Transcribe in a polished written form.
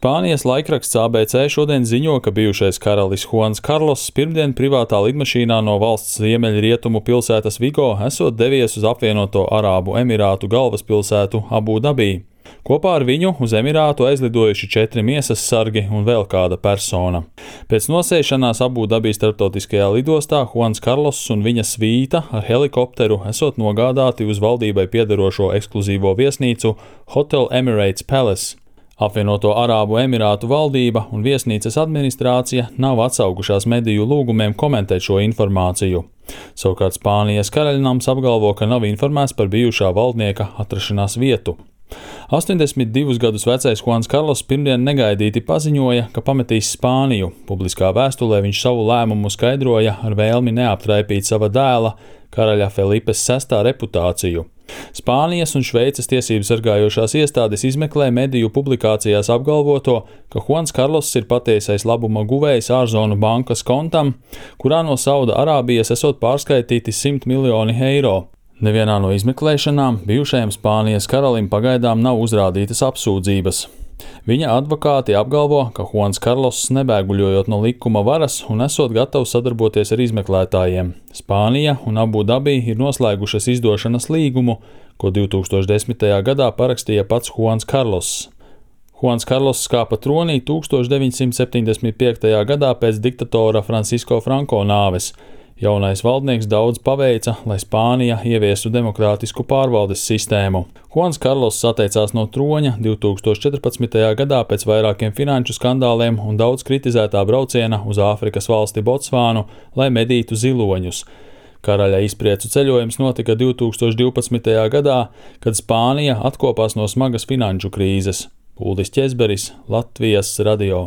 Spānijas laikraksts ABC šodien ziņo, ka bijušais karalis Juans Karloss pirmdien privātā lidmašīnā no valsts ziemeļrietumu pilsētas Vigo esot devies uz apvienoto Arābu Emirātu galvaspilsētu Abu Dabī. Kopā ar viņu uz Emirātu aizlidojuši 4 miesas sargi un vēl kāda persona. Pēc nosēšanās Abu Dabī starptautiskajā lidostā Juans Karloss un viņa svīta ar helikopteru esot nogādāti uz valdībai piederošo ekskluzīvo viesnīcu Hotel Emirates Palace. Apvienoto Arābu Emirātu valdība un viesnīcas administrācija nav atsaukušās mediju lūgumiem komentēt šo informāciju. Savukārt Spānijas karaļnams apgalvo, ka nav informēts par bijušā valdnieka atrašanās vietu. 82 gadus vecais Juans Karloss pirmdien negaidīti paziņoja, ka pametīs Spāniju. Publiskā vēstulē viņš savu lēmumu skaidroja ar vēlmi neaptraipīt sava dēla, karaļa Felipes VI reputāciju. Spānijas un Šveices tiesību sargājošās iestādes izmeklē mediju publikācijās apgalvoto, ka Juans Karloss ir patiesais labuma guvējs ārzonu bankas kontam, kurā no Sauda Arābijas esot pārskaitīti 100 miljoni eiro. Nevienā no izmeklēšanām bijušajam Spānijas karalim pagaidām nav uzrādītas apsūdzības. Viņa advokāti apgalvo, ka Juans Karloss nebēguļojot no likuma varas un esot gatavs sadarboties ar izmeklētājiem. Spānija un Abu Dabī ir noslēgušas izdošanas līgumu, ko 2010. gadā parakstīja pats Juans Karloss. Juans Karloss kāpa tronī 1975. gadā pēc diktatora Francisco Franco nāves. Jaunais valdnieks daudz paveica, lai Spānija ieviestu demokrātisku pārvaldes sistēmu. Juans Karloss atteicās no troņa 2014. gadā pēc vairākiem finanšu skandāliem un daudz kritizētā brauciena uz Āfrikas valsti Botsvānu, lai medītu ziloņus. Karaļa izpriecu ceļojums notika 2012. gadā, kad Spānija atkopās no smagas finanšu krīzes. Uldis Ķezberis, Latvijas radio.